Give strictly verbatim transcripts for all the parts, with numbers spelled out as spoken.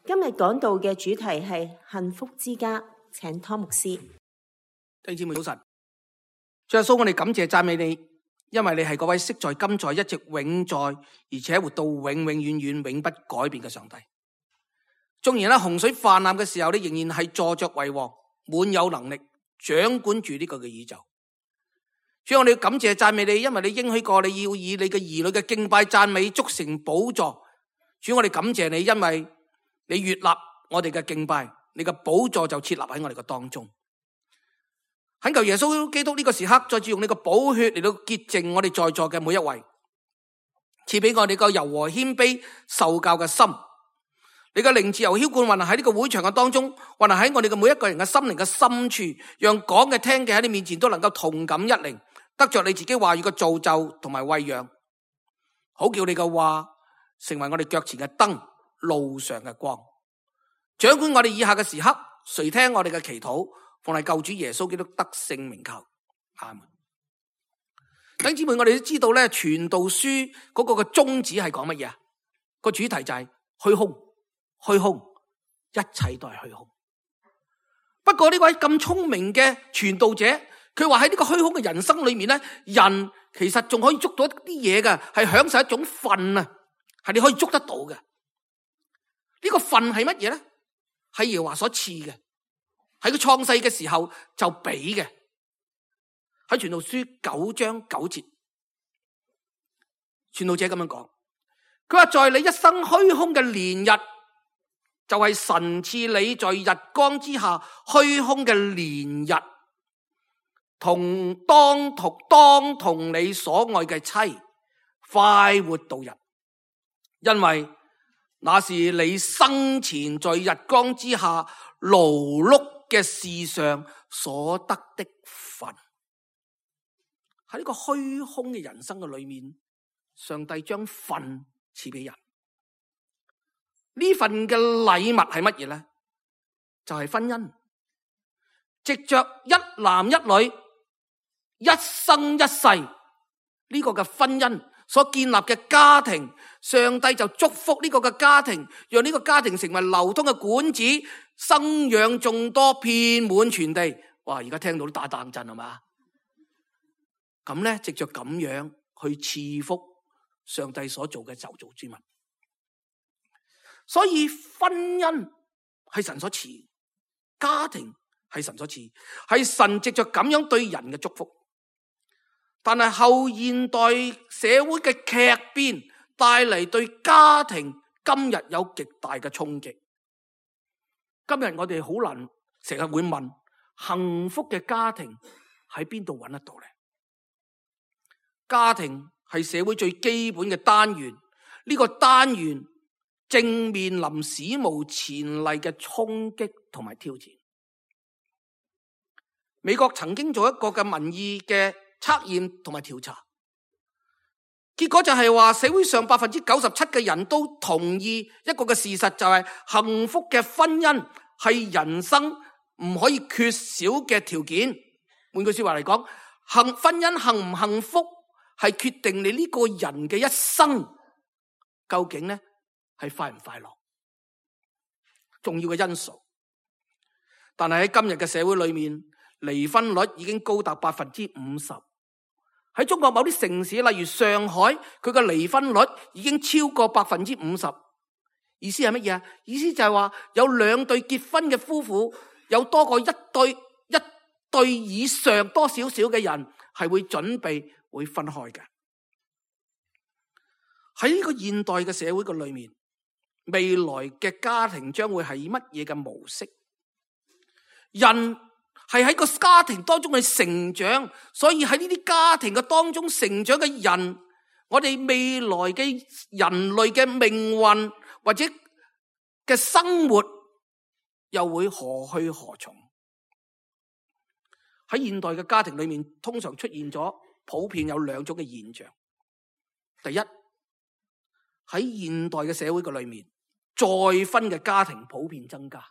今日講道嘅主題係幸福之家，請湯牧師。弟兄姊妹早晨，主耶穌，我哋感謝讚美你，因為你係嗰位昔在今在一直永在，而且活到永永遠遠永不改變嘅上帝。縱然喺洪水泛濫嘅時候，你仍然係坐着為王，滿有能力掌管住呢個嘅宇宙。主，我哋要感謝讚美你，因為你應許過你要以你嘅兒女嘅敬拜讚美築成寶座。主，我哋感謝你，因為你悅納我哋嘅敬拜，你嘅寶座就設立喺我哋嘅當中。懇求耶穌基督呢個時刻，再次用你嘅寶血嚟到潔淨我哋在座嘅每一位，賜俾我哋個柔和謙卑受教嘅心。你嘅靈自由澆灌運行喺呢個會場嘅當中，運行喺我哋嘅每一個人嘅心靈嘅深處，讓講嘅聽嘅喺你面前都能夠同感一靈，得着你自己話語嘅造就同埋餵養，好叫你嘅話成為我哋腳前嘅燈，路上嘅光，掌管我哋以下嘅時刻，垂聽我哋嘅祈禱，奉係救主耶穌基督得勝名求，阿門。弟兄姊妹，我哋都知道咧，傳道書嗰個嘅宗旨係講乜嘢啊？個主題就係虛空，虛空，一切都係虛空。不過呢位咁聰明嘅傳道者，佢話喺呢個虛空嘅人生裏面咧，人其實仲可以捉到一啲嘢嘅，係享受一種份啊，係你可以捉得到嘅。呢個份係乜嘢咧？係耶和華所賜嘅，喺佢創世嘅時候就俾嘅。喺傳道書九章九節，傳道者咁樣講，佢話在你一生虛空嘅年日，就係神賜你在日光之下虛空嘅年日，同當同當同你所愛嘅妻快活度日，因為那是你生前在日光之下勞碌嘅事上所得的份。喺呢個虛空嘅人生嘅裏面，上帝將份賜俾人。呢份嘅禮物係乜嘢咧？就係婚姻，藉着一男一女一生一世呢個嘅婚姻所建立嘅家庭，上帝就祝福呢個嘅家庭，讓呢個家庭成為流通嘅管子，生養眾多，遍滿全地。哇！而家聽到都打冷震係嘛？咁咧，藉着咁樣去賜福上帝所做嘅受造之物。所以婚姻係神所賜，家庭係神所賜，係神藉着咁樣對人嘅祝福。但係後現代社會嘅劇變帶嚟對家庭今日有極大嘅衝擊。今日我哋好難成日會問，幸福嘅家庭喺邊度揾得到呢？家庭係社會最基本嘅單元，呢個單元正面臨史無前例嘅衝擊同埋挑戰。美國曾經做一個嘅民意嘅測驗同埋調查，結果就係話社會上百分之九十七嘅人都同意一個嘅事實，就係幸福嘅婚姻係人生唔可以缺少嘅條件。換句說話嚟講，幸婚姻幸唔幸福係決定你呢個人嘅一生究竟呢係快唔快樂重要嘅因素。但係喺今日嘅社會裏面，離婚率已經高達百分之五十。喺中國某啲城市，例如上海，佢嘅離婚率已經超過百分之五十。意思係乜嘢啊？意思就係話有兩對結婚嘅夫婦，有多過一對一對以上多少少嘅人係會準備會分開嘅。喺呢個現代嘅社會嘅裏面，未來嘅家庭將會係乜嘢嘅模式？人係喺個家庭當中去成長，所以喺呢啲家庭嘅當中成長嘅人，我哋未來嘅人類嘅命運或者嘅生活又會何去何從？喺現代嘅家庭裏面，通常出現咗普遍有兩種嘅現象。第一，喺現代嘅社會嘅裏面，再婚嘅家庭普遍增加。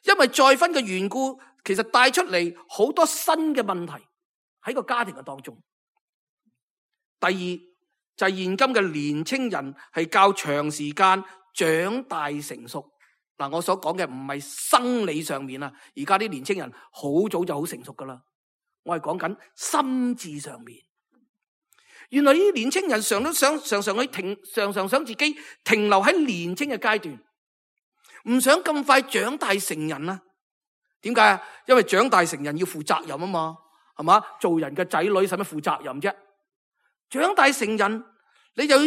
因為再婚嘅緣故，其實帶出嚟好多新嘅問題喺個家庭嘅當中。第二就係現今嘅年青人係較長時間長大成熟。嗱，我所講嘅唔係生理上面啊，而家啲年青人好早就好成熟噶啦。我係講緊心智上面。原來呢啲年青人常都想常常去停，常常想自己停留喺年青嘅階段，唔想咁快長大成人啊。點解啊？因為長大成人要負責任啊嘛，係嘛？做人嘅仔女使乜負責任啫？長大成人，你就要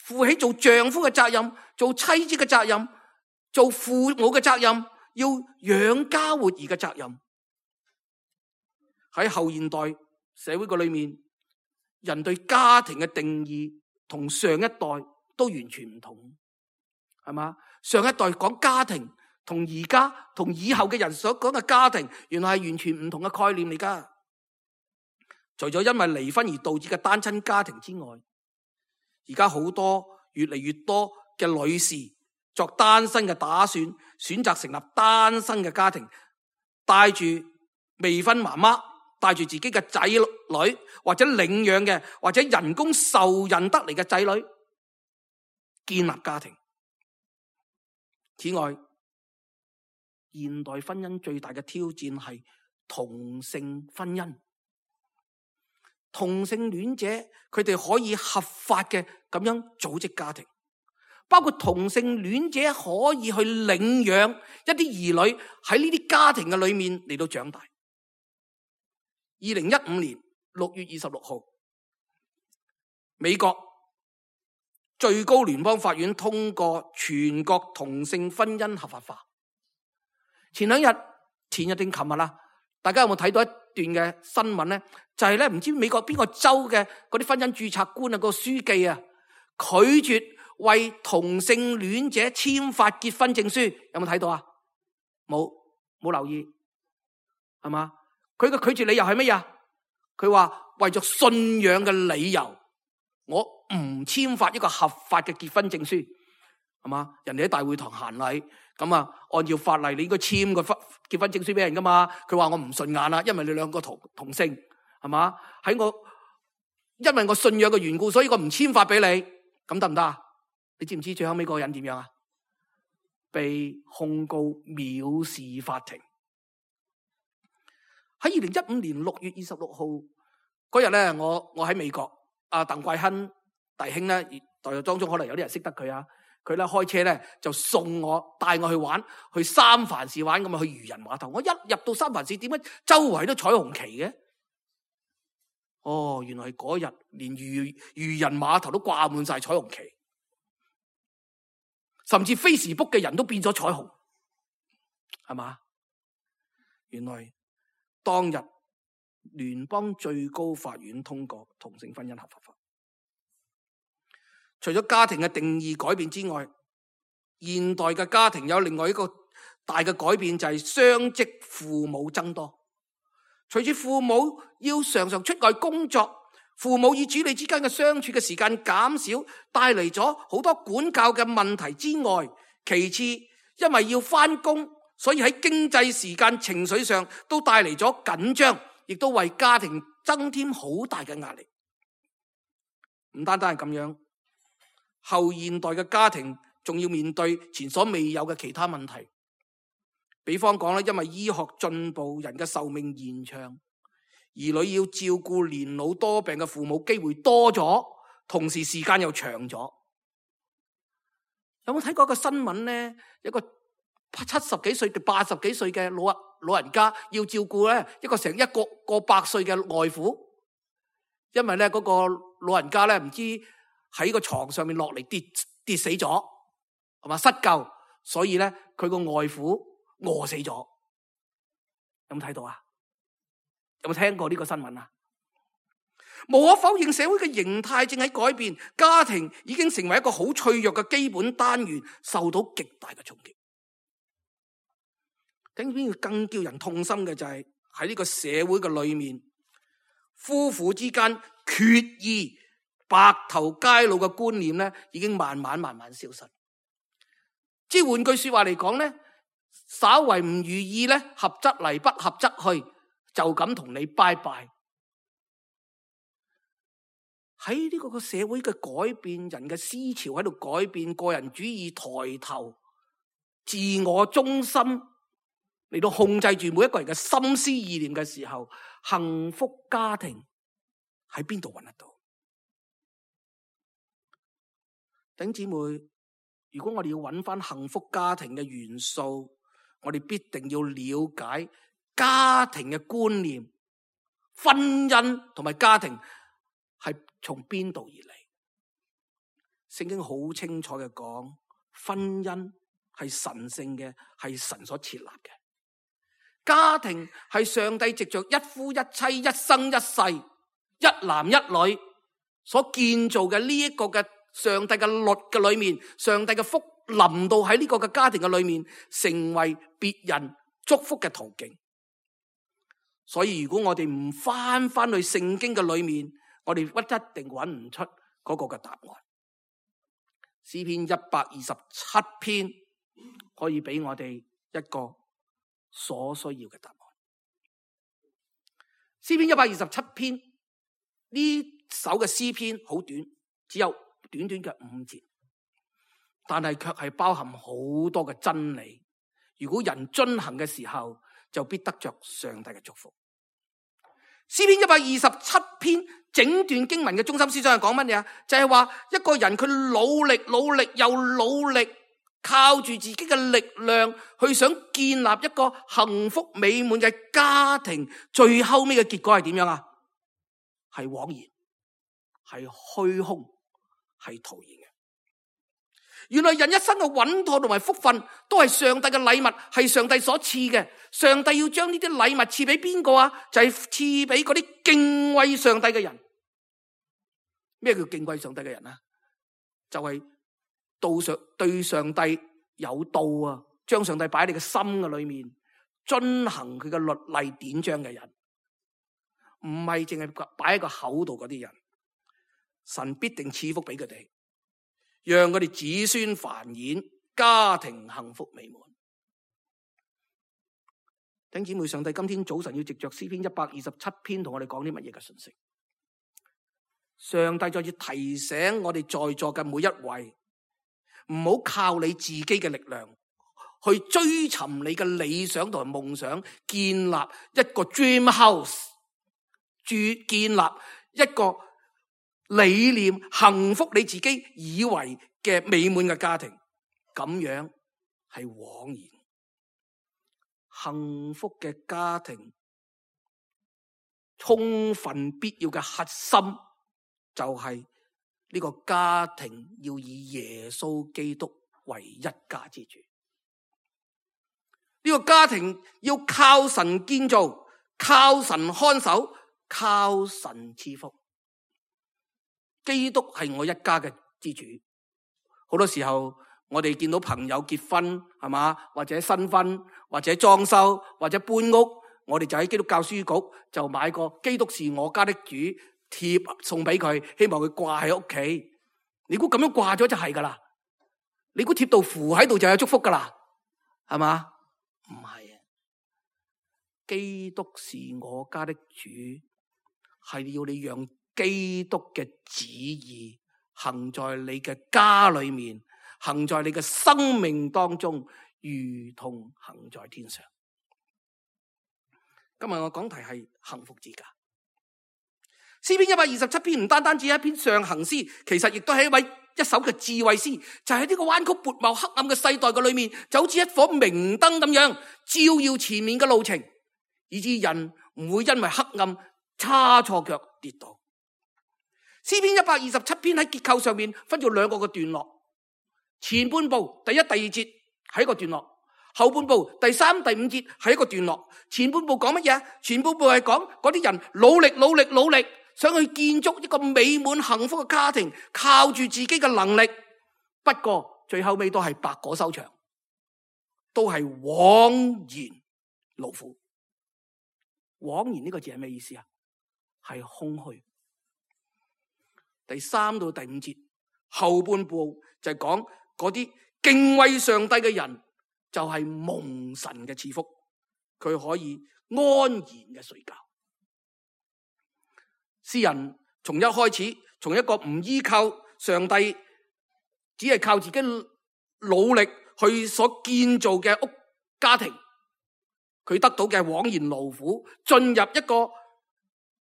負起做丈夫嘅責任，做妻子嘅責任，做父母嘅責任，要養家活兒嘅責任。喺後現代社會嘅裏面，人對家庭嘅定義同上一代都完全唔同，係嘛？上一代講家庭，同而家同以後嘅人所講嘅家庭，原來係完全唔同嘅概念嚟噶。除咗因為離婚而導致嘅單親家庭之外，而家好多越嚟越多嘅女士作單身嘅打算，選擇成立單身嘅家庭，帶住未婚媽媽，帶住自己嘅仔女，或者領養嘅，或者人工受孕得嚟嘅仔女，建立家庭。此外，現代婚姻最大嘅挑戰係同性婚姻。同性戀者佢哋可以合法嘅咁樣組織家庭，包括同性戀者可以去領養一啲兒女喺呢啲家庭嘅裏面嚟到長大。二零一五年六月二十六號，美國最高聯邦法院通過全國同性婚姻合法化。前兩日、前日定琴日啦，大家有冇睇到一段嘅新聞咧？就係咧，唔知美國邊個州嘅嗰啲婚姻註冊官啊，個書記啊，拒絕為同性戀者簽發結婚證書。有冇睇到啊？冇，冇留意，係嘛？佢嘅拒絕理由係乜嘢？佢話為咗信仰嘅理由，我唔簽發一個合法嘅結婚證書，係嘛？人哋喺大會堂行禮，咁啊，按照法例你應該簽個婚結婚證書俾人噶嘛？佢話我唔順眼啦，因為你兩個同同性，係嘛？喺我因為我信仰嘅緣故，所以我唔簽發俾你，咁得唔得啊？你知唔知最後尾嗰個人點樣啊？被控告藐視法庭。喺二零一五年六月二十六號嗰日咧，我我喺美國，阿鄧桂亨弟兄咧，代入當中可能有啲人識得佢啊。佢咧開車咧就送我帶我去玩，去三藩市玩，咁啊去漁人碼頭。我一入到三藩市，點解周圍都彩虹旗嘅？哦，原來嗰日連漁漁人碼頭都掛滿晒彩虹旗，甚至 Facebook 嘅人都變咗彩虹，係嘛？原來當日聯邦最高法院通過同性婚姻合法化。除咗家庭嘅定義改變之外，現代嘅家庭有另外一個大嘅改變，就係雙職父母增多。隨住父母要常常出外工作，父母與子女之間嘅相處嘅時間減少，帶嚟咗好多管教嘅問題之外，其次因為要返工，所以喺經濟時間、情緒上都帶嚟咗緊張，亦都為家庭增添好大嘅壓力。唔單單係咁樣，後現代嘅家庭仲要面對前所未有嘅其他問題。比方講咧，因為醫學進步，人嘅壽命延長，兒女要照顧年老多病嘅父母機會多咗，同時時間又長咗。有冇睇過一個新聞咧？一個七十幾歲到八十幾歲嘅老老人家要照顧咧一個成一個個百歲嘅外父，因為咧嗰個老人家咧唔知喺個床上面落嚟跌跌死咗，係嘛，失救，所以咧佢個外父餓死咗。有冇睇到啊？有冇聽過呢個新聞啊？無可否認，社會嘅形態正喺改變，家庭已經成為一個好脆弱嘅基本單元，受到極大嘅衝擊。更更叫人痛心嘅就係喺呢個社會嘅裏面，夫婦之間決意白頭偕老嘅觀念咧，已經慢慢慢慢消失。即係換句說話嚟講咧，稍為唔如意咧，合則嚟，不合則去，就咁同你拜拜。喺呢個個社會嘅改變，人嘅思潮喺度改變，個人主義抬頭，自我中心嚟到控制住每一個人嘅心思意念嘅時候，幸福家庭喺邊度揾得到？弟兄姊妹，如果我哋要揾翻幸福家庭嘅元素，我哋必定要了解家庭嘅觀念，婚姻同埋家庭係從邊度而嚟？聖經好清楚嘅講，婚姻係神聖嘅，係神所設立嘅。家庭係上帝藉着一夫一妻、一生一世、一男一女所建造嘅呢一個嘅上帝嘅律嘅裏面，上帝嘅福臨到喺呢個嘅家庭嘅裏面，成為別人祝福嘅途徑。所以如果我哋唔翻翻去聖經嘅裏面，我哋不一定揾唔出嗰個嘅答案。詩篇一百二十七篇可以俾我哋一個所需要嘅答案。詩篇一百二十七篇呢首嘅詩篇好短，只有短短嘅五節，但係卻係包含好多嘅真理。如果人遵行嘅時候，就必得着上帝嘅祝福。詩篇一百二十七篇整段經文嘅中心思想係講乜嘢啊？就係話一個人佢努力努力又努力，靠住自己嘅力量去想建立一個幸福美滿嘅家庭，最後尾嘅結果係點樣啊？係枉然，係虛空，係徒然嘅。原來人一生嘅穩妥同埋福分都係上帝嘅禮物，係上帝所賜嘅。上帝要將呢啲禮物賜俾邊個啊？就係賜俾嗰啲敬畏上帝嘅人。咩叫敬畏上帝嘅人啊？就係道上對上帝有道啊，將上帝擺喺你嘅心嘅裏面，遵行佢嘅律例典章嘅人，唔係淨係擺喺個口度嗰啲人。神必定賜福俾佢哋，讓佢哋子孫繁衍，家庭幸福美滿。弟兄姊妹，上帝今天早晨要藉着詩篇一百二十七篇同我哋講啲乜嘢嘅信息？上帝再要提醒我哋在座嘅每一位，唔好靠你自己嘅力量去追尋你嘅理想同埋夢想，建立一個 dream house， 建立一個理念幸福你自己以為嘅美滿嘅家庭，咁樣係枉然。幸福嘅家庭充分必要嘅核心就係呢個家庭要以耶穌基督為一家之主。呢個家庭要靠神建造，靠神看守，靠神賜福。基督係我一家嘅之主。好多時候我哋見到朋友結婚，係嘛，或者新婚，或者裝修，或者搬屋，我哋就喺基督教書局就買個基督是我家的主貼送俾佢，希望佢掛喺屋企。你估咁樣掛咗就係噶啦？你估貼到符喺度就有祝福噶啦？係嘛？唔係啊！基督是我家的主，係要你讓基督嘅旨意行在你嘅家裏面，行在你嘅生命當中，如同行在天上。今日我講題係幸福之家。詩篇一百二十七篇唔單單只係一篇上行詩，其實亦都係一位一首嘅智慧詩，就喺呢個彎曲悖謬黑暗嘅世代嘅裏面，就好似一顆明燈咁樣照耀前面嘅路程，以致人唔會因為黑暗差錯腳跌倒。詩篇一百二十七篇喺結構上面分咗兩個嘅段落，前半部第一、第二節係一個段落，後半部第三、第五節係一個段落。前半部講乜嘢？前半部係講嗰啲人努力、努力、努力，想去建築一個美滿幸福嘅家庭，靠住自己嘅能力。不過最後尾都係白果收場，都係枉然勞苦。枉然呢個字係咩意思啊？係空虛。第三到第五節後半部就係講嗰啲敬畏上帝嘅人，就係蒙神嘅賜福，佢可以安然嘅睡覺。詩人從一開始從一個唔依靠上帝，只係靠自己努力去所建造嘅屋家庭，佢得到嘅枉然勞苦，進入一個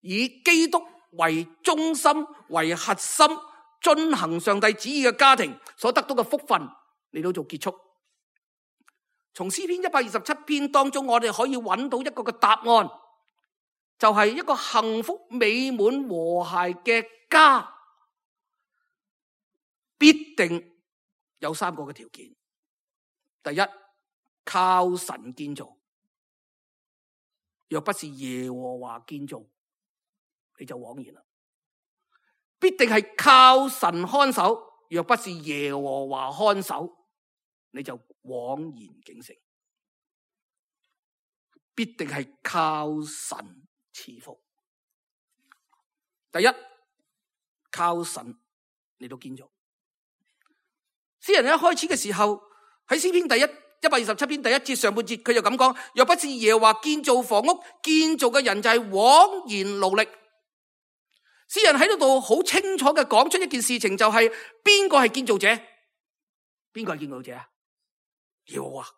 以基督為中心、為核心、遵行上帝旨意嘅家庭所得到嘅福分嚟到做結束。從詩篇一百二十七篇當中，我哋可以揾到一個嘅答案，就係一個幸福美滿和諧嘅家，必定有三個嘅條件。第一，靠神建造，若不是耶和華建造，你就枉然啦。必定係靠神看守，若不是耶和華看守，你就枉然警醒。必定係靠神賜福。第一，靠神嚟到建造。詩人一開始嘅時候，喺詩篇第一一百二十七篇第一節上半節，佢就咁講：若不是耶和華建造房屋，建造嘅人就係枉然勞力。詩人喺呢度好清楚嘅講出一件事情，就係邊個係建造者？邊個係建造者啊？耶和華。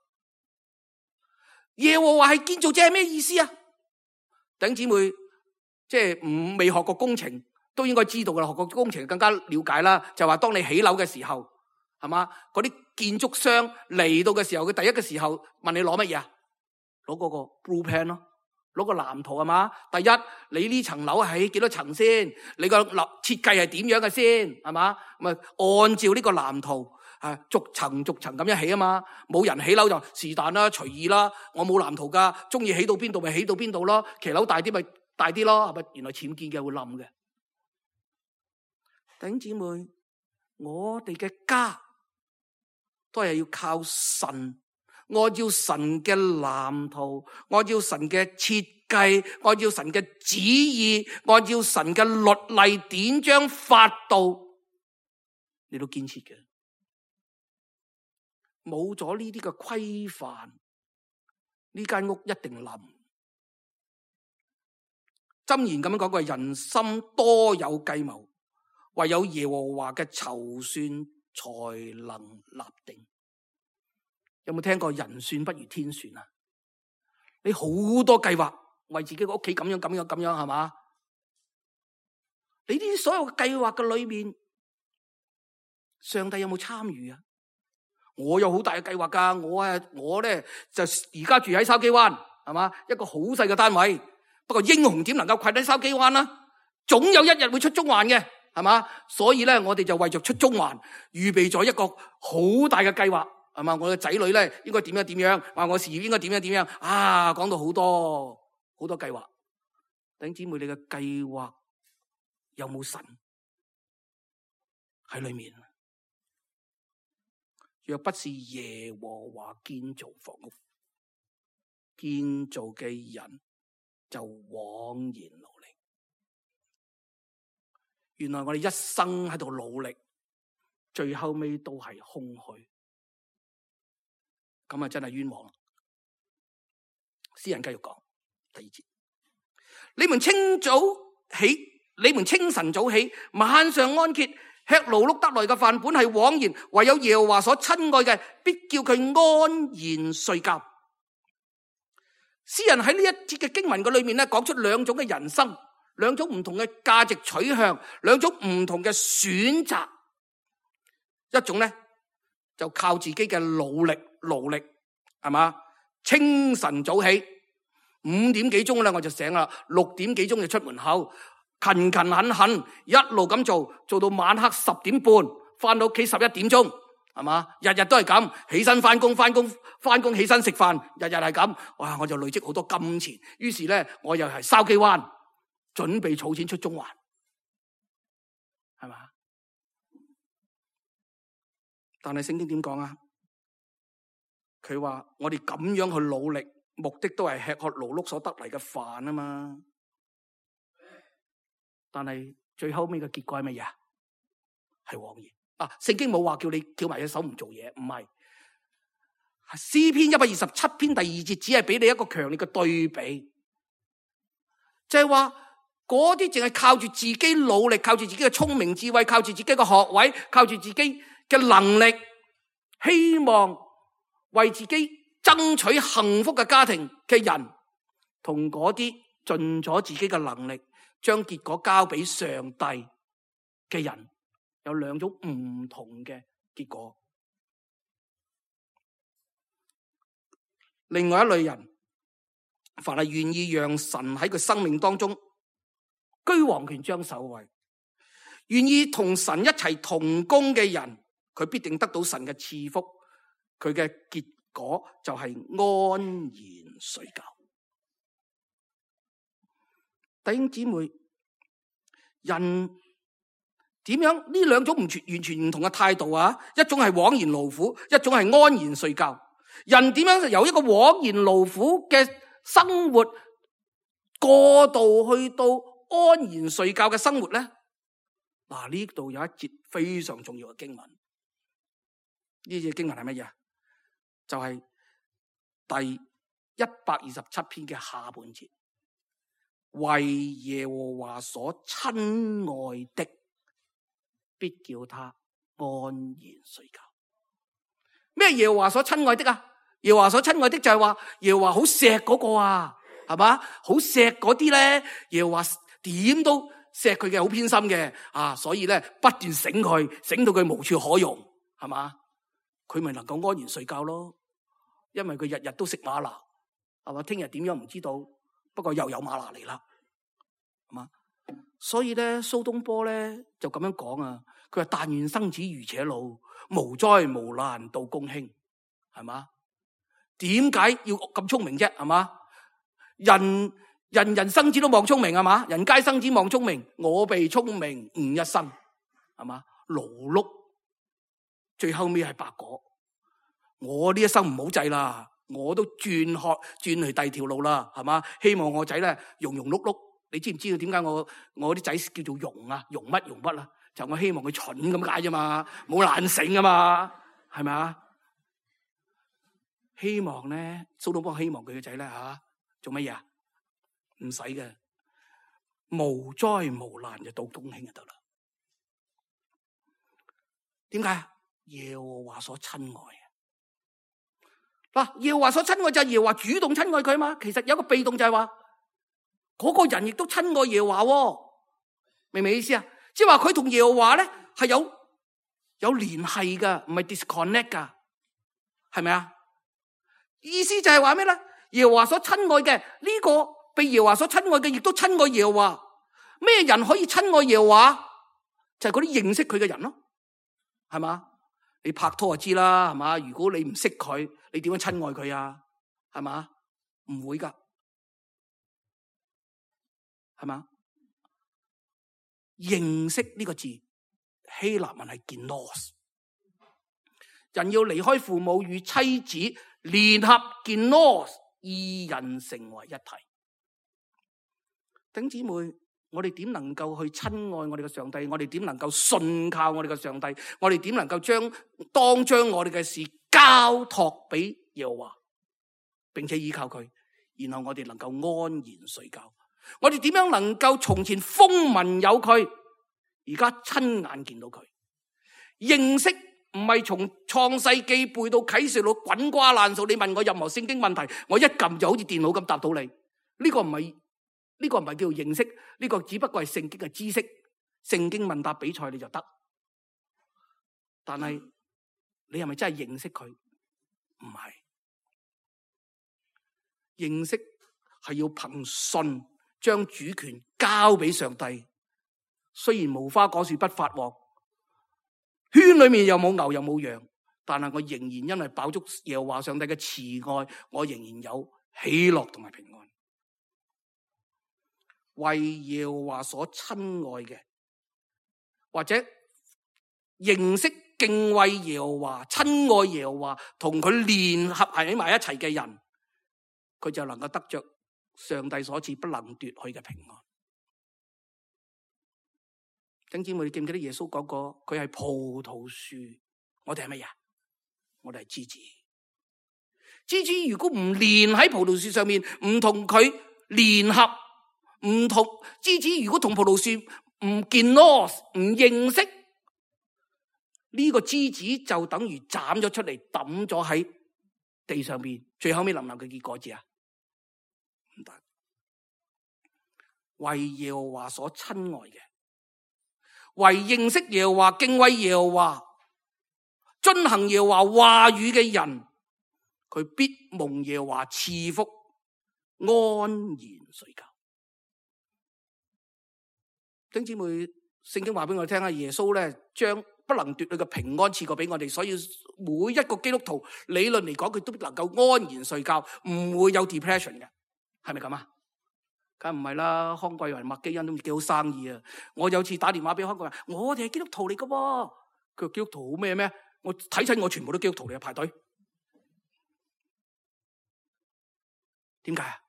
耶和華係建造者係咩意思啊？弟兄姊妹，即係唔未學過工程都應該知道噶啦，學過工程更加了解啦。就話當你起樓嘅時候，係嘛？嗰啲建築商嚟到嘅時候，佢第一個時候問你攞乜嘢啊？攞嗰個 blueprint 咯，攞個藍圖係嘛？第一，你呢層樓係幾多層先？你個樓設計係點樣嘅先？係嘛？咪按照呢個藍圖啊，逐層逐層咁樣起啊嘛。冇人起樓就是但啦，隨意啦。我冇藍圖噶，中意起到邊度咪起到邊度咯。騎樓大啲咪大啲咯，係咪？原來僭建嘅會冧嘅。弟兄姊妹，我哋嘅家都係要靠神，按照神嘅藍圖，按照神嘅設計，按照神嘅旨意，按照神嘅律例典章法度嚟到建設嘅。冇咗呢啲嘅規範，呢間屋一定冧。箴言咁樣講過，人心多有計謀，唯有耶和華嘅籌算才能立定。有冇聽過人算不如天算啊？你好多計劃，為自己個屋企咁樣咁樣咁樣，係嘛？你呢啲所有計劃嘅裏面，上帝有冇參與啊？我有好大嘅計劃噶，我啊我咧就而家住喺筲箕灣，係嘛？一個好細嘅單位，不過英雄點能夠困喺筲箕灣啦？總有一日會出中環嘅，係嘛？所以咧，我哋就為着出中環，預備咗一個好大嘅計劃，係嘛？我嘅仔女咧應該點樣點樣，話我事業應該點樣點樣啊！講到好多好多計劃，弟兄姊妹，你嘅計劃有冇神喺裏面？若不是耶和華建造房屋，建造嘅人就枉然勞力。原來我哋一生喺度努力，最後尾都係空虛，咁啊真係冤枉啦！詩人繼續講第二節：你們清早起，你們清晨早起，晚上安歇，吃勞碌得來嘅飯本係枉然，唯有耶和華所親愛嘅，必叫佢安然睡覺。詩人喺呢一節嘅經文嘅裏面咧，講出兩種嘅人生，兩種唔同嘅價值取向，兩種唔同嘅選擇。一種咧就靠自己嘅努力勞力，係嘛？清晨早起，五點幾鐘咧我就醒啦，六點幾鐘就出門口。勤勤懇懇一路咁做，做到晚黑十點半，翻到屋企十一點鐘，係嘛？日日都係咁，起身翻工，翻工翻工起身食飯，日日係咁。哇！我就累積好多金錢，於是咧我又係筲箕灣，準備儲錢出中環，係嘛？但係聖經點講啊？佢話我哋咁樣去努力，目的都係吃喝勞碌所得嚟嘅飯啊嘛。但係最後尾嘅結果係乜嘢啊？係枉然啊！聖經冇話叫你翹埋隻手唔做嘢，唔係。詩篇一百二十七篇第二節只係俾你一個強烈嘅對比，就係話嗰啲淨係靠住自己努力，靠住自己嘅聰明智慧，靠住自己嘅學位，靠住自己嘅能力，希望為自己爭取幸福嘅家庭嘅人，同嗰啲盡咗自己嘅能力，將結果交俾上帝嘅人，有兩種唔同嘅結果。另外一類人，凡係願意讓神喺佢生命當中居王權掌首位，願意同神一齊同工嘅人，佢必定得到神嘅賜福。佢嘅結果就係安然睡覺。弟兄姊妹，人點樣呢兩種唔全完全唔同嘅態度啊？一種係枉然勞苦，一種係安然睡覺。人點樣由一個枉然勞苦嘅生活過渡去到安然睡覺嘅生活咧？嗱，呢度有一節非常重要嘅經文。呢節經文係乜嘢？就係、是、第一百二十七篇嘅下半節，為耶和華所親愛的，必叫他安然睡覺。咩耶和華所親愛的啊？耶和華所親愛的就係話耶和華好錫嗰個啊，係嘛？好錫嗰啲咧，耶和華點都錫佢嘅，好偏心嘅啊，所以咧不斷醒佢，醒到佢無處可容，係嘛？佢咪能夠安然睡覺咯？因為佢日日都食嗎哪，係嘛？聽日點樣唔知道，不過又有嗎哪嚟啦，係嘛？所以咧，蘇東坡咧就咁樣講啊，佢話但願生子如且老，無災無難到公卿，係嘛？點解要咁聰明啫？係嘛？人人人生子都望聰明，係嘛？人皆生子望聰明，我被聰明誤一生，係嘛？勞碌最後尾係白果。我呢一生唔好制啦，我都轉學轉去第二條路啦，係嘛？希望我仔咧庸庸碌碌。你知唔知道點解我我啲仔叫做庸啊？庸乜庸乜啊？就我希望佢蠢咁解啫嘛，冇懶醒啊嘛，係咪啊？希望咧，蘇東坡希望佢嘅仔咧吓做乜嘢啊？唔使嘅，無災無難就到公卿就得啦。點解？耶和華所親愛嗱，耶和華所親愛就係耶和華主動親愛佢嘛。其實有一個被動就係話，嗰個人亦都親愛耶和華，明唔明意思啊？即係話佢同耶和華咧係有有聯繫噶，唔係 disconnect 噶，係咪啊？意思就係話咩咧？耶和華所親愛嘅呢個被耶和華所親愛嘅，亦都親愛耶和華。咩人可以親愛耶和華？就係嗰啲認識佢嘅人咯，係嘛？你拍拖就知啦，係嘛？如果你唔識佢，你點樣親愛佢啊？係嘛？唔會噶，係嘛？認識呢個字，希臘文係 genos， 人要離開父母與妻子聯合 genos， 二人成為一體。弟兄姊妹，我哋點能夠去親愛我哋嘅上帝？我哋點能夠信靠我哋嘅上帝？我哋點能夠將當將我哋嘅事交託俾耶和華，並且依靠佢，然後我哋能夠安然睡覺？我哋點樣能夠從前風聞有佢，而家親眼見到佢？認識唔係從創世記背到啟示錄滾瓜爛熟，你問我任何聖經問題，我一撳就好似電腦咁答到你。呢個唔係呢個唔係叫做認識，呢個只不過係聖經嘅知識。聖經問答比賽你就得，但係你係咪真係認識佢？唔係，認識係要憑信將主權交俾上帝。雖然無花果樹不發旺，圈裏面又冇牛又冇羊，但係我仍然因為飽足耶和華上帝嘅慈愛，我仍然有喜樂同埋平安。為耶和華所親愛嘅，或者認識敬畏耶和華、親愛耶和華，同佢聯合喺埋一齊嘅人，佢就能夠得着上帝所賜不能奪去嘅平安。弟兄姊妹，你記唔記得耶穌講過，佢係葡萄樹，我哋係乜嘢？我哋係枝子。枝子如果唔連喺葡萄樹上面，唔同佢聯合，唔同枝子如果同葡萄樹唔見咯，唔認識呢個枝子，就等於斬咗出嚟抌咗喺地上邊，最後尾能唔能夠結果子啊？唔得。為耶和華所親愛嘅，為認識耶和華、敬畏耶和華、遵行耶和華話語嘅人，佢必蒙耶和華賜福，安然睡覺。弟兄姊妹，聖經話俾我聽啊，耶穌咧將不能奪去嘅平安賜過俾我哋，所以每一個基督徒理論嚟講，佢都能夠安然睡覺，唔會有 depression 嘅，係咪咁啊？梗唔係啦，康貴雲、麥基恩都幾好生意啊！我有次打電話俾康貴雲，我哋係基督徒嚟噶喎，佢話基督徒好咩咩？我睇親我全部都基督徒嚟，排隊。點解啊？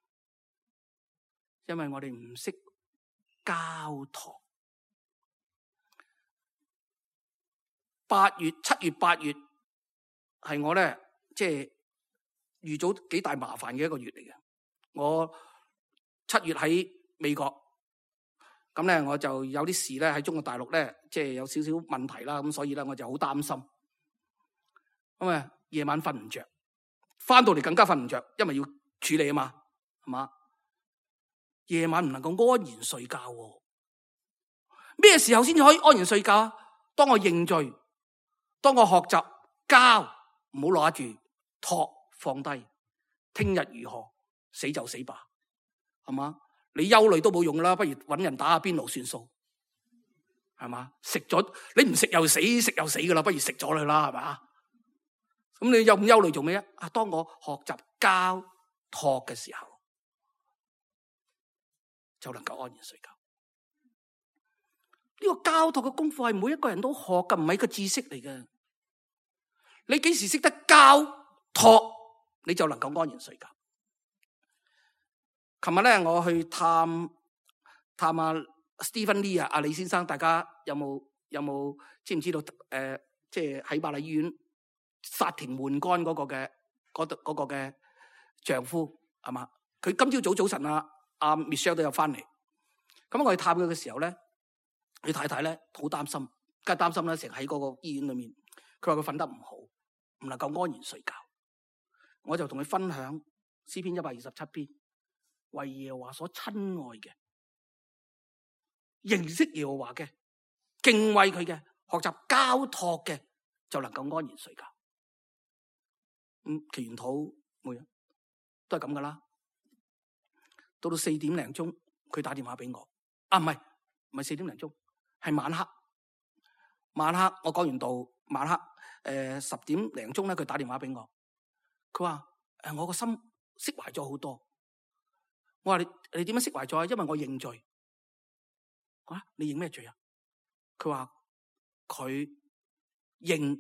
因為我哋唔識交託。八月、七月、八月係我咧，即係遇到幾大麻煩嘅一個月嚟嘅。我七月喺美國，咁咧我就有啲事咧喺中國大陸咧，即係有少少問題啦，咁所以咧我就好擔心。咁啊，夜晚瞓唔着，翻到嚟更加瞓唔着，因為要處理啊嘛，係嘛？夜晚唔能夠安然睡覺喎。咩時候先至可以安然睡覺啊？當我認罪，當我學習交，唔好攞住，託放低，聽日如何，死就死吧，係嘛？你憂慮都冇用啦，不如搵人打下邊爐算數，係嘛？食咗你唔食又死，食又死噶啦，不如食咗佢啦，係嘛？咁你有咁憂慮做咩啊？啊，當我學習交託嘅時候，就能夠安然睡覺。呢個交託嘅功課係每一個人都學嘅，唔係一個知識嚟嘅。你幾時識得交託，你就能夠安然睡覺。琴日咧，我去探探阿 Stephen Lee 啊，阿李先生，大家有冇有冇知唔知道？誒、呃，即係喺瑪麗醫院殺停換肝嗰個嘅嗰度嗰個嘅丈夫係嘛？佢今朝早早晨啊，阿 Michelle 都有翻嚟。咁我去探佢嘅時候咧，佢太太咧好擔心，梗係擔心啦，成日喺嗰個醫院裏面。佢話佢瞓得唔好，唔能夠安然睡覺。我就同佢分享詩篇一百二十七篇，為耶和華所親愛嘅，認識耶和華嘅，敬畏佢嘅，學習交託嘅，就能夠安然睡覺。咁祈完禱每日都係咁噶啦。到到四點零鐘，佢打電話俾我。啊，唔係唔係四點零鐘，係晚黑。晚黑我講完道，晚黑誒十點零鐘咧，佢打電話俾我。佢話誒我個心釋懷咗好多。我話你你點樣釋懷咗啊？因為我認罪。啊，你認咩罪啊？佢話佢認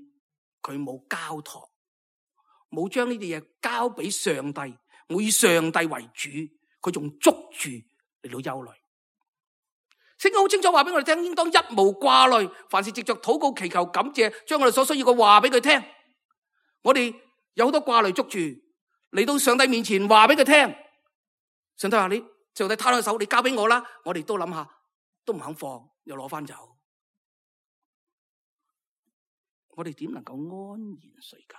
佢冇交託，冇將呢啲嘢交俾上帝，冇以上帝為主，佢仲捉住嚟到憂慮。聖經好清楚話俾我哋聽，應當一無掛慮，凡事藉着禱告祈求感謝，將我哋所需要嘅話俾佢聽。我哋有好多掛慮捉住，嚟到上帝面前話俾佢聽。上帝話你，上帝攤開手，你交俾我啦。我哋都諗下，都唔肯放，又攞翻走。我哋點能夠安然睡覺？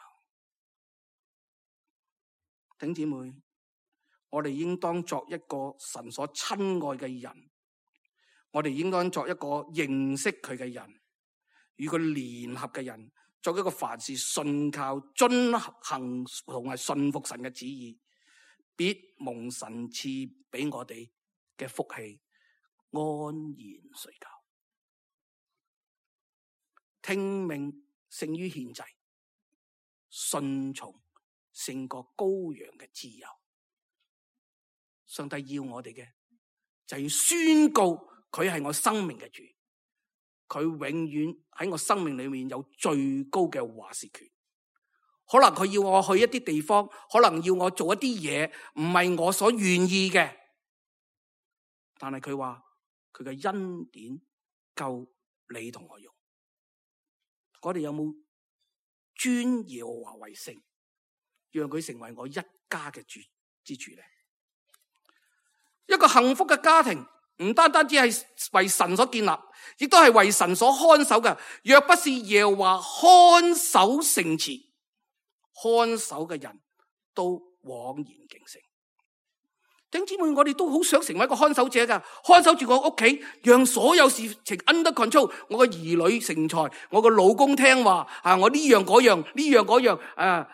弟兄姊妹，我哋應當作一個神所親愛嘅人。我哋應該作一個認識佢嘅人，與佢聯合嘅人，作一個凡事信靠、遵行同埋信服神嘅旨意，必蒙神賜俾我哋嘅福氣，安然睡覺。聽命勝於獻祭，順從勝過羔羊嘅脂油。上帝要我哋嘅就要宣告。佢係我生命嘅主，佢永遠喺我生命裏面有最高嘅話事權。可能佢要我去一啲地方，可能要我做一啲嘢，唔係我所願意嘅。但係佢話佢嘅恩典夠你同我用。我哋有冇尊耶和華為聖，讓佢成為我一家嘅主之主咧？一個幸福嘅家庭唔單單只係為神所建立，亦都係為神所看守嘅。若不是耶和華看守城池，看守嘅人都枉然竟成。弟兄姊妹，我哋都好想成為一個看守者噶，看守住我屋企，讓所有事情 under control。我個兒女成才，我個老公聽話，啊，我呢樣嗰樣，呢樣嗰樣，啊，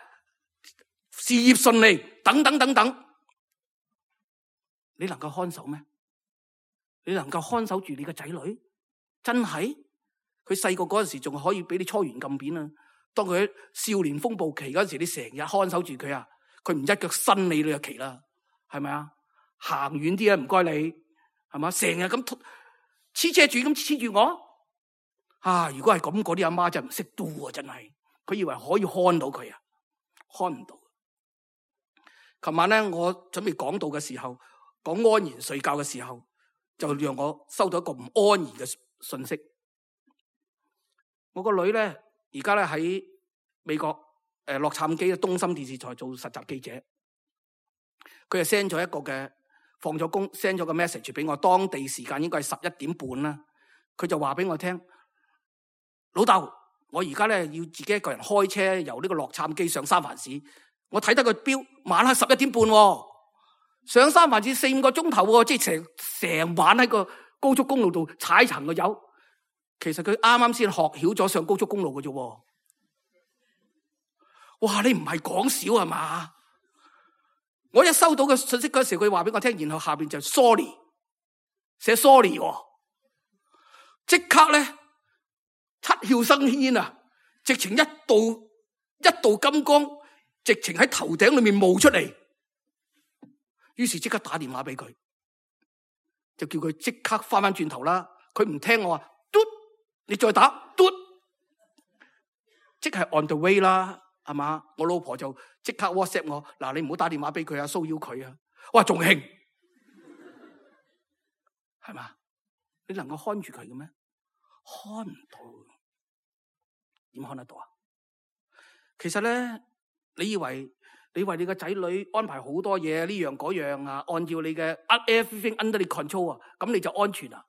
事業順利，等等等等。你能夠看守咩？你能夠看守住你個仔女？真係？佢細個嗰陣時仲可以俾你搓圓撳扁啊！當佢喺少年風暴期嗰陣時，你成日看守住佢啊！佢唔一腳伸你，你就奇啦，係咪啊？行遠啲啊，唔該你，係嘛？成日咁黐車住咁黐住我啊！如果係咁，嗰啲阿媽真係唔識 do 啊！真係，佢以為可以看到佢啊，看唔到。琴晚咧，我準備講道嘅時候，講安然睡覺嘅時候，就讓我收到一個唔安然嘅信息。我個女咧，而家咧喺美國誒洛杉磯嘅東森電視台做實習記者，佢就 send 咗一個嘅。放咗工 send 咗個 message 俾我，當地時間應該係十一點半啦。佢就話俾我聽，老豆，我而家咧要自己一個人開車由呢個洛杉磯上三藩市。我睇得個表，晚黑十一點半，上三藩市四五個鐘頭，即係成成晚喺個高速公路度踩層個油。其實佢啱啱先學曉咗上高速公路嘅啫。哇！你唔係講笑係嘛？我一收到嘅信息嗰時，佢話俾我聽，然後下邊就 sorry， 寫 sorry， 即刻咧七竅生煙啊！直情一道一道金光，直情喺頭頂裏面冒出嚟。於是即刻打電話俾佢，就叫佢即刻翻翻轉頭啦。佢唔聽我話，嘟，你再打嘟，即係 on the way 啦。係嘛？我老婆就即刻 WhatsApp 我，嗱，你唔好打電話俾佢啊，騷擾佢啊！哇，仲興，係嘛？你能夠看住佢嘅咩？看唔到，點看得到啊？其實咧，你以為你為你個仔女安排好多嘢，呢樣嗰樣啊，按照你嘅 everything under the control 啊，咁你就安全啊？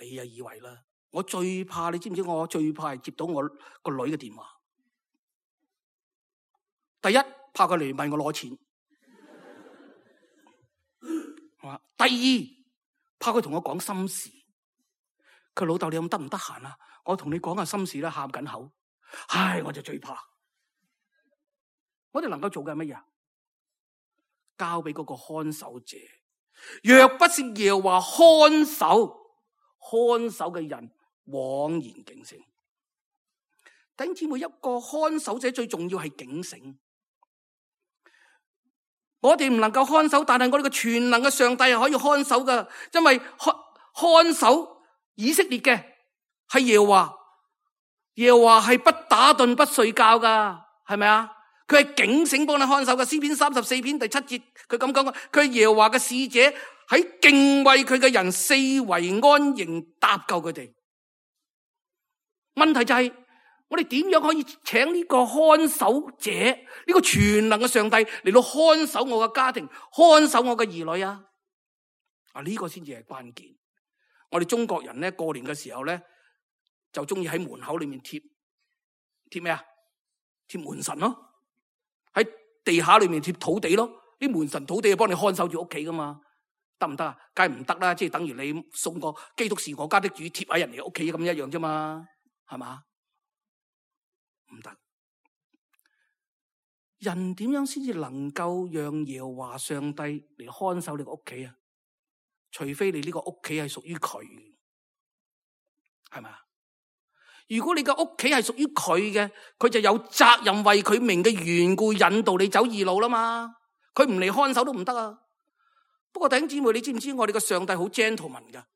你啊以為啦？我最怕，你知唔知？我最怕係接到我個女嘅電話。第一，怕佢嚟問我攞錢，第二，怕佢同我講心事。佢老豆，你咁得唔得閒啊？我同你講下心事啦，喊緊口。唉，我就最怕。我哋能夠做嘅係乜嘢？交俾嗰個看守者。若不是耶和華看守，看守嘅人枉然竟成。弟兄姊妹，一個看守者最重要係警醒。我哋唔能夠看守，但係我哋嘅全能嘅上帝係可以看守噶，因為看看守以色列嘅係耶和華，耶和華係不打盹不睡覺噶，係咪啊？佢係警醒幫你看守嘅。詩篇三十四篇第七節，佢咁講，佢係耶和華嘅使者，喺敬畏佢嘅人四圍安營搭救佢哋。問題就係、是。我哋點樣可以請呢個看守者，呢、這個全能嘅上帝嚟到看守我嘅家庭，看守我嘅兒女啊？啊，呢個先至係關鍵。我哋中國人咧，過年嘅時候咧，就中意喺門口裏面貼貼咩啊？貼門神咯，喺地下裏面貼土地咯。啲門神土地係幫你看守住屋企噶嘛？得唔得啊？梗係唔得啦，即係等於你送個基督是我家的主貼喺人哋屋企咁一樣啫嘛，係嘛？唔得，人點樣先至能夠讓耶和華上帝嚟看守你個屋企啊？除非你呢個屋企係屬於佢，係咪啊？如果你個屋企係屬於佢嘅，佢就有責任為佢名嘅緣故引導你走義路啦嘛。佢唔嚟看守都唔得啊。不過弟兄姊妹，你知唔知我哋個上帝好 gentleman 噶，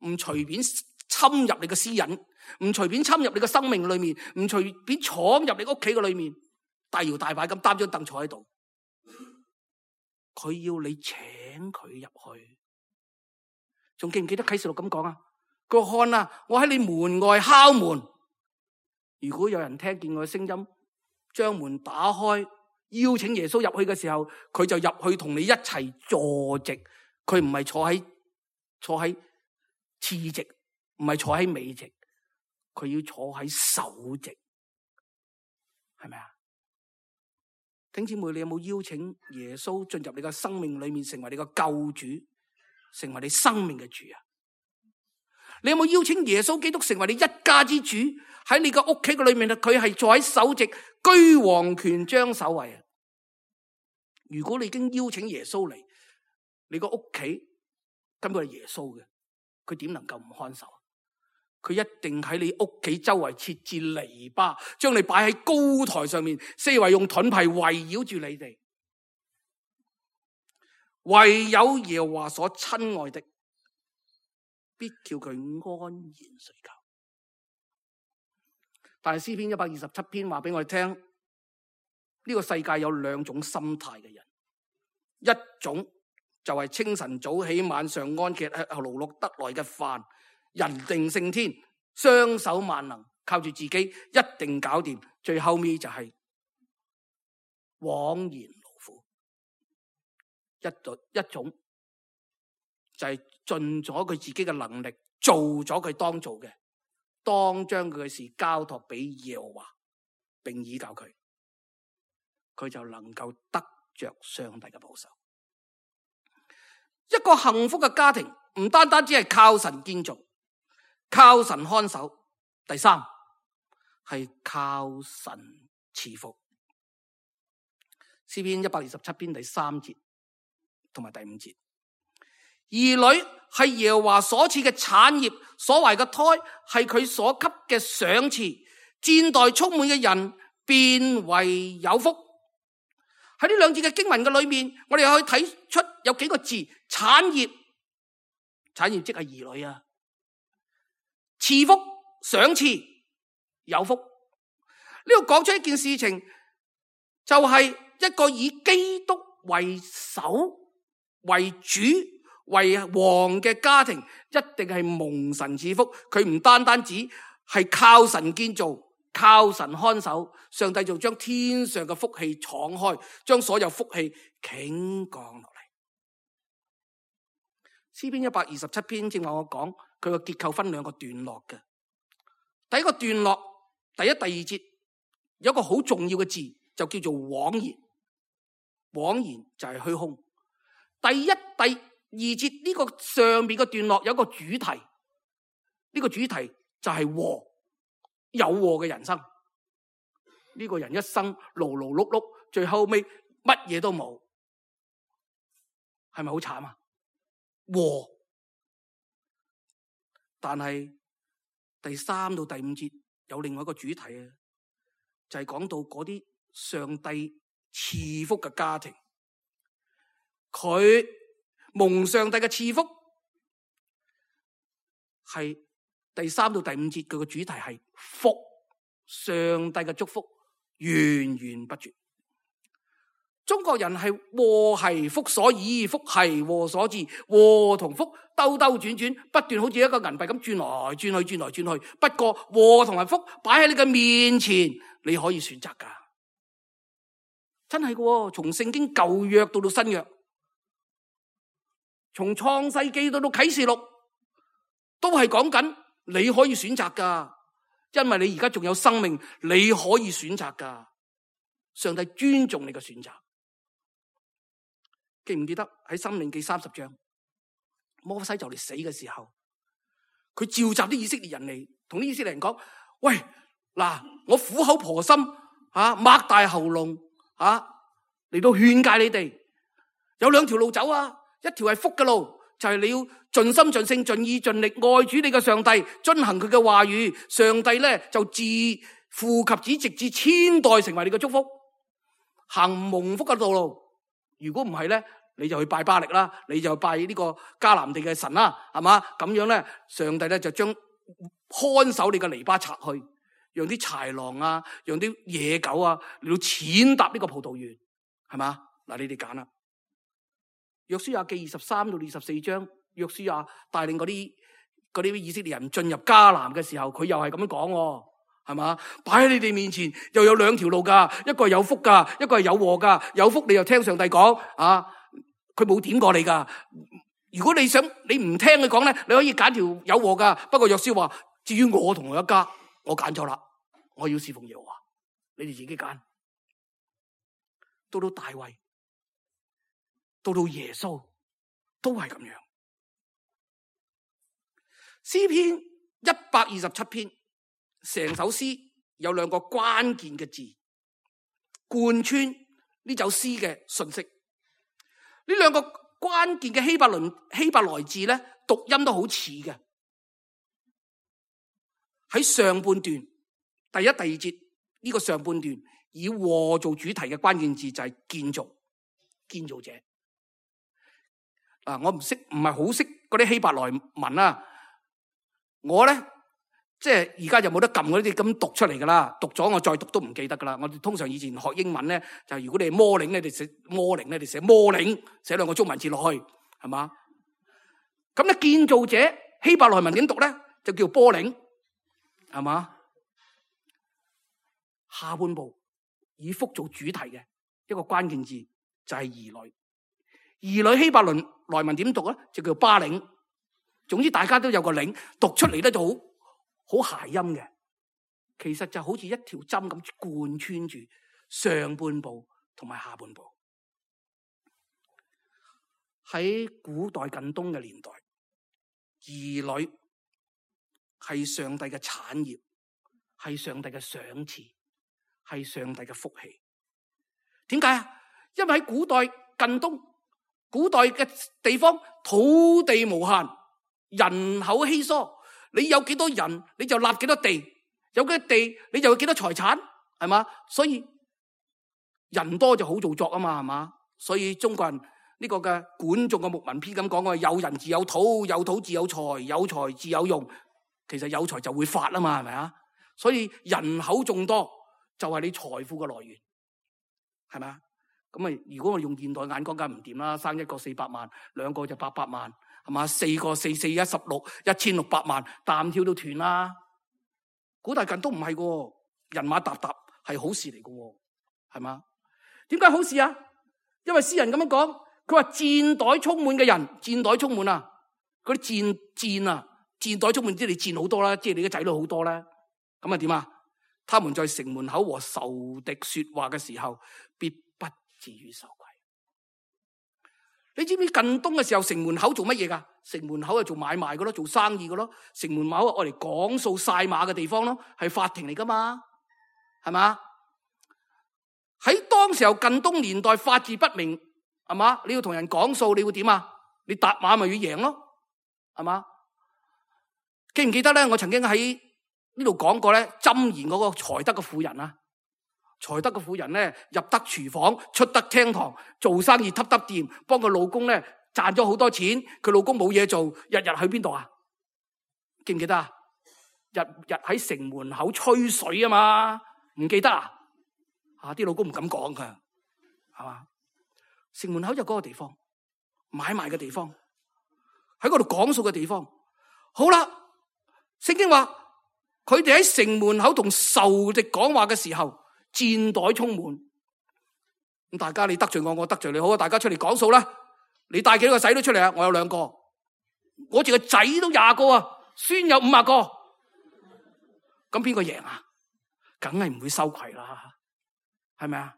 唔隨便侵入你嘅私隱，唔隨便侵入你嘅生命裏面，唔隨便闖入你屋企嘅裏面，大搖大擺咁擔張凳坐喺度。佢要你請佢入去。仲記唔記得啟示錄咁講啊？佢話看啊，我喺你門外敲門，如果有人聽見我嘅聲音，將門打開，邀請耶穌入去嘅時候，佢就入去同你一齊坐席，佢唔係坐喺坐喺次席，唔係坐喺尾席，佢要坐喺首席，係咪啊？弟兄姊妹，你有冇邀請耶穌進入你嘅生命裏面，成為你嘅救主，成為你生命嘅主啊？你有冇邀請耶穌基督成為你一家之主？喺你嘅屋企嘅裏面，佢係坐喺首席，居王權將首位啊！如果你已經邀請耶穌嚟，你個屋企根本係耶穌嘅，佢點能夠唔看守？佢一定喺你屋企周圍設置籬笆，將你擺喺高台上面，四圍用盾牌圍繞住你哋。唯有耶和華所親愛的，必叫佢安然睡覺。但係詩篇一百二十七篇話俾我哋聽，呢個世界有兩種心態嘅人，一種就係清晨早起晚上安歇，勞碌得來嘅飯，人定勝天，雙手萬能，靠住自己一定搞掂。最後尾就係枉然勞苦。一種一種就係盡咗佢自己嘅能力，做咗佢當做嘅，當將佢嘅事交託俾耶和華，並倚靠佢，佢就能夠得着上帝嘅保守。一個幸福嘅家庭唔單單只係靠神建造，靠神看守，第三係靠神賜福。詩篇一百二十七篇第三節同埋第五節，兒女係耶和華所賜嘅產業，所懷嘅胎係佢所給嘅賞賜，戰待充滿嘅人便為有福。喺呢兩節嘅經文嘅裏面，我哋可以睇出有幾個字：產業，產業即係兒女啊；賜福，賞賜，有福。呢度講出一件事情，就係一個以基督為首、為主、為王嘅家庭，一定係蒙神賜福。佢唔單單只係靠神建造，靠神看守，上帝就將天上嘅福氣敞開，將所有福氣傾降落嚟。詩篇一百二十七篇正話我講，佢個結構分兩個段落嘅。第一個段落，第一、第二節有一個好重要嘅字，就叫做枉然。枉然就係虛空。第一、第二節呢個上面嘅段落有一個主題，呢個主題就係禍，有禍嘅人生。呢個人一生勞勞碌碌，最後尾乜嘢都冇，係咪好慘啊？禍。但係第三到第五節有另外一個主題啊，就係講到嗰啲上帝賜福嘅家庭，佢蒙上帝嘅賜福，係第三到第五節佢嘅主題係福，上帝嘅祝福源源不絕。中國人係禍係福所倚，福係禍所致，禍同福兜兜轉轉，不斷好似一個銀幣咁轉來轉去，轉來轉去。不過禍同埋福擺喺你嘅面前，你可以選擇噶，真係嘅。從聖經舊約到到新約，從創世記到到啟示錄，都係講緊你可以選擇噶，因為你而家仲有生命，你可以選擇噶。上帝尊重你嘅選擇。記唔記得喺申命記三十章，摩西就嚟死嘅時候，佢召集啲以色列人嚟，同啲以色列人講：喂，嗱，我苦口婆心啊，擘大喉嚨啊，嚟到勸誡你哋，有兩條路走啊，一條係福嘅路，就係你要盡心盡性盡意盡力愛主你嘅上帝，遵行佢嘅話語，上帝咧就自父及子直至千代成為你嘅祝福，行蒙福嘅道路。如果唔係咧，你就去拜巴力啦，你就拜呢個迦南地嘅神啦，係嘛？咁樣咧，上帝咧就將看守你嘅籬笆拆去，讓啲豺狼啊，讓啲野狗啊嚟到踐踏呢個葡萄園，係嘛？嗱，你哋揀啦。約書亞記二十三到二十四章，約書亞帶領嗰啲嗰啲以色列人進入迦南嘅時候，佢又係咁樣講。係嘛？擺喺你哋面前又有兩條路噶，一個係有福噶，一個係有禍噶。有福你又聽上帝講啊，佢冇點過你噶，如果你想你唔聽佢講咧，你可以揀條有禍噶。不過約書話，至於我同我一家，我揀咗啦，我要侍奉耶和華，你哋自己揀。到到大衛，到到耶穌，都係咁樣。詩篇一百二十七篇，成首詩有兩個關鍵嘅字，貫穿呢首詩嘅信息。呢兩個關鍵嘅希伯倫希伯來字咧，讀音都好似嘅。喺上半段第一、第二節呢個上半段以禍做主題嘅關鍵字就係建造，建造者。啊，我唔識，唔係好識嗰啲希伯來文啊。我咧即係而家就冇得撳嗰啲咁讀出嚟噶啦，讀咗我再讀都唔記得噶啦。我哋通常以前學英文咧，就如果你係摩領咧，你寫摩領咧，你寫摩領，寫兩個中文字落去，係嘛？咁咧建造者希伯來文點讀咧？就叫波領，係嘛？下半部以福做主題嘅一個關鍵字就係兒女，兒女希伯來文點讀咧？就叫巴領。總之大家都有個領，讀出嚟咧就好好諧音嘅。其實就好似一條針咁貫穿住上半部同埋下半部。喺古代近東嘅年代，兒女係上帝嘅產業，係上帝嘅賞賜，係上帝嘅福氣。點解啊？因為喺古代近東，古代嘅地方土地無限，人口稀疏，你有幾多人你就立幾多地，有幾多地你就有幾多財產，係嘛？所以人多就好造作啊嘛，係嘛？所以中國人呢個嘅管仲嘅牧民篇咁講嘅，有人自有土，有土自有財，有財自有用。其實有財就會發啊嘛，係咪啊？所以人口眾多就係你財富嘅來源，係咪啊？咁啊，如果我用現代眼光梗唔掂啦，生一個四百萬，兩個就八百萬。係嘛？四個四四一十六，一千六百萬，擔挑都斷啦。古代近都唔係嘅，人馬沓沓係好事嚟嘅，係嘛？點解好事啊？因為詩人咁樣講，佢話箭袋充滿嘅人，箭袋充滿啊，嗰啲箭箭啊，箭袋充滿，即係你箭好多啦，即係你嘅仔女好多啦。咁啊點啊？他們在城門口和仇敵說話嘅時候，必不至於羞愧。你知唔知近東嘅時候城門口做乜嘢噶？城門口係做買賣嘅咯，做生意嘅咯。城門口係愛嚟講數晒馬嘅地方咯，係法庭嚟噶嘛，係嘛？喺當時候近東年代法治不明，係嘛？你要同人講數，你會點啊？你搭馬咪要贏咯，係嘛？記唔記得咧？我曾經喺呢度講過咧，箴言嗰個才德嘅婦人啊。才德嘅婦人咧，入得廚房，出得廳堂，做生意揼揼掂，幫佢老公咧賺咗好多錢。佢老公冇嘢做，日日去邊度啊？記唔記得啊？日日喺城門口吹水啊嘛，唔記得啊？啊，啲老公唔敢講噶，係嘛？城門口就嗰個地方，買賣嘅地方，喺嗰度講數嘅地方。好啦，聖經話佢哋喺城門口同仇敵講話嘅時候，箭袋充滿。咁大家你得罪我，我得罪你，好啊！大家出嚟講數啦。你帶幾多個仔女出嚟啊？我有兩個，我自個仔都廿個啊，孫有五十個。咁邊個贏啊？梗係唔會羞愧啦，係咪啊？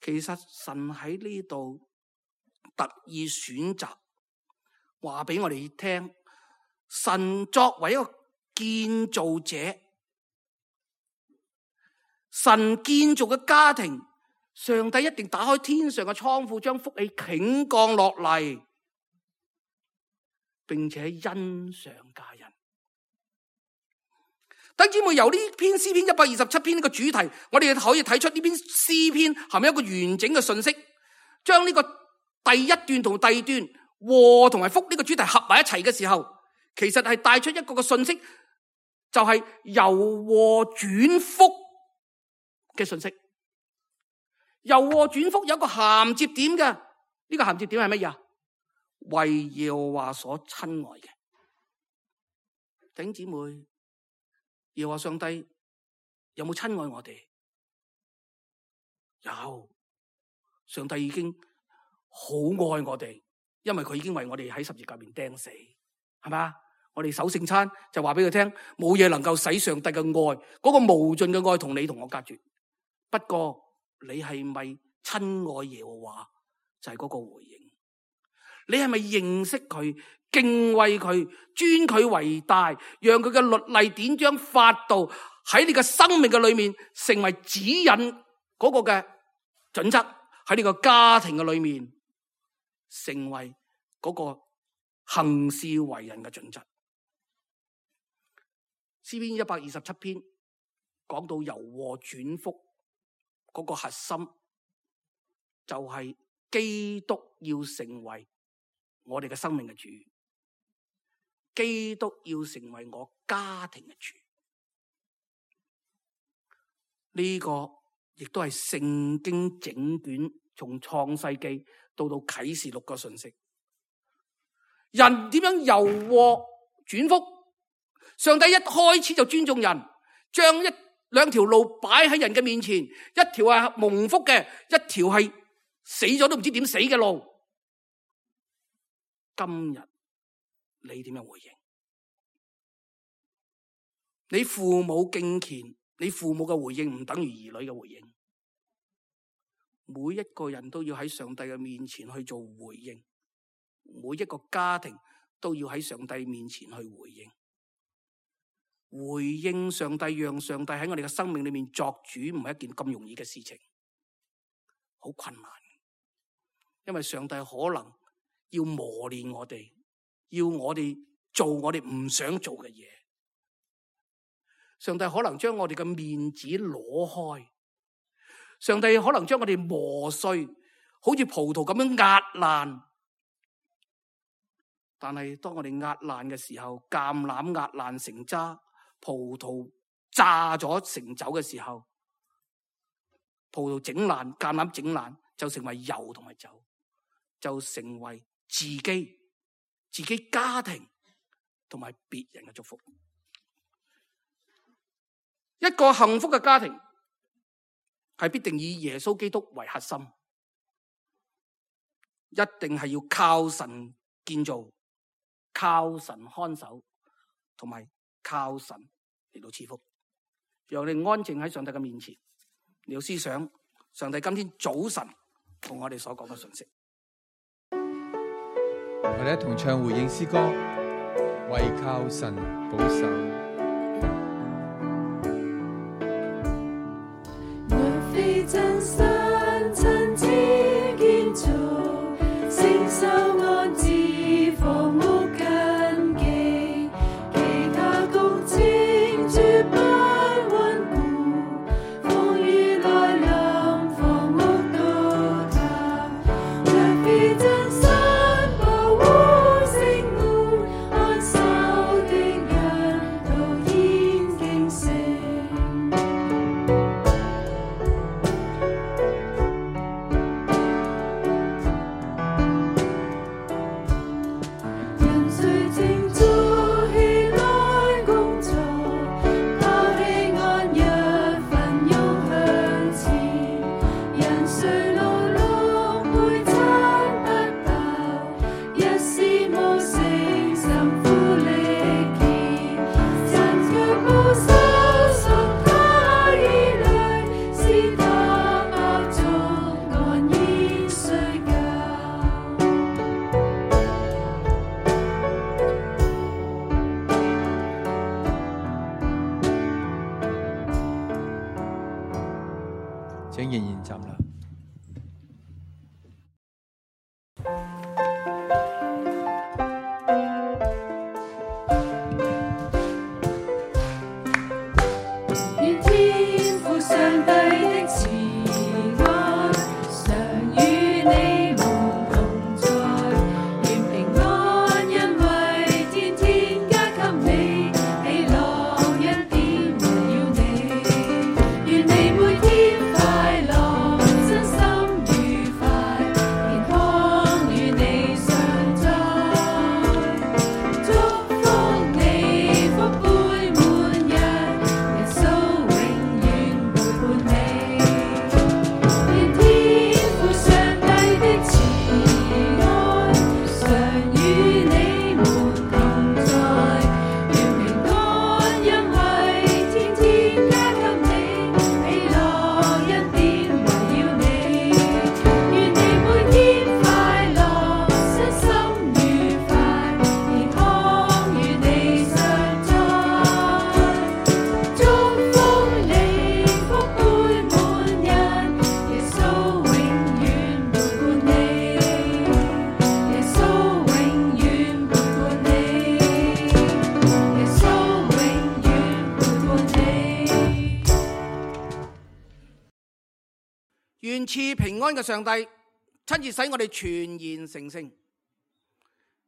其實神喺呢度特意選擇話俾我哋聽，神作為一個建造者。神建造嘅家庭，上帝一定打開天上嘅倉庫，將福氣傾降落嚟，並且恩上加恩。弟兄姊妹，由呢篇詩篇一百二十七篇呢個主題，我哋可以睇出呢篇詩篇含有一個完整嘅信息，將呢個第一段同第二段禍同埋福呢個主題合埋一齊嘅時候，其實係帶出一個嘅信息，就係由禍轉福嘅信息。由禍轉福有一個銜接點嘅，呢、這個銜接點係乜嘢啊？為耶和華所親愛嘅弟兄姊妹，耶和華上帝有冇親愛我哋？有，上帝已經好愛我哋，因為佢已經為我哋喺十字架面釘死，係嘛？我哋守聖餐就話俾佢聽，冇嘢能夠使上帝嘅愛，嗰個無盡嘅愛同你同我隔絕。不過你係咪親愛耶和華？就係嗰個回應。你係咪認識佢、敬畏佢、尊佢為大，讓佢嘅律例典章法度喺你嘅生命嘅裏面成為指引嗰個嘅準則，喺你個家庭嘅裏面成為嗰個行事為人嘅準則。詩篇一百二十七篇講到柔和轉福嗰個核心，就係基督要成為我哋嘅生命嘅主，基督要成為我家庭嘅主。呢、這個亦都係聖經整卷從創世記到到啟示錄嘅信息。人點樣柔和轉福？上帝一開始就尊重人，將一兩條路擺喺人嘅面前，一條係蒙福嘅，一條係死咗都唔知點死嘅路。今日你點樣回應？你父母敬虔，你父母嘅回應唔等於兒女嘅回應。每一個人都要喺上帝嘅面前去做回應，每一個家庭都要喺上帝面前去回應。回應上帝，讓上帝喺我哋嘅生命裏面作主，唔係一件咁容易嘅事情，好困難。因為上帝可能要磨練我哋，要我哋做我哋唔想做嘅嘢。上帝可能將我哋嘅面子攞開，上帝可能將我哋磨碎，好似葡萄咁樣壓爛。但係當我哋壓爛嘅時候，橄欖壓爛成渣，葡萄榨咗成酒嘅時候，葡萄整爛，橄欖整爛，就成為油同埋酒，就成為自己、自己家庭同埋別人嘅祝福。一個幸福嘅家庭係必定以耶穌基督為核心，一定係要靠神建造，靠神看守，同埋靠神嚟到賜福。讓你安靜喺上帝嘅面前，你要思想上帝今天早晨同我哋所講嘅信息。我哋一同唱回應詩歌，為靠神保守。若非真心親自建造，承受安置房屋根基，其他工程絕不穩固，風雨來臨，房屋倒塌。若非真心保護聖門，看守的人都願賜平安嘅上帝親自使我哋全然成聖，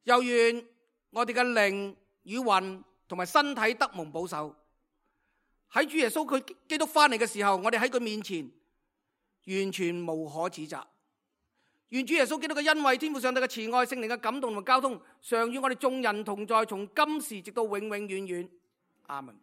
又願我哋嘅靈與魂同埋身體得蒙保守。喺主耶穌佢基督翻嚟嘅時候，我哋喺佢面前完全無可指責。願主耶穌基督嘅恩惠、天父上帝嘅慈愛、聖靈嘅感動同交通，常與我哋眾人同在，從今時直到永永遠遠。阿門。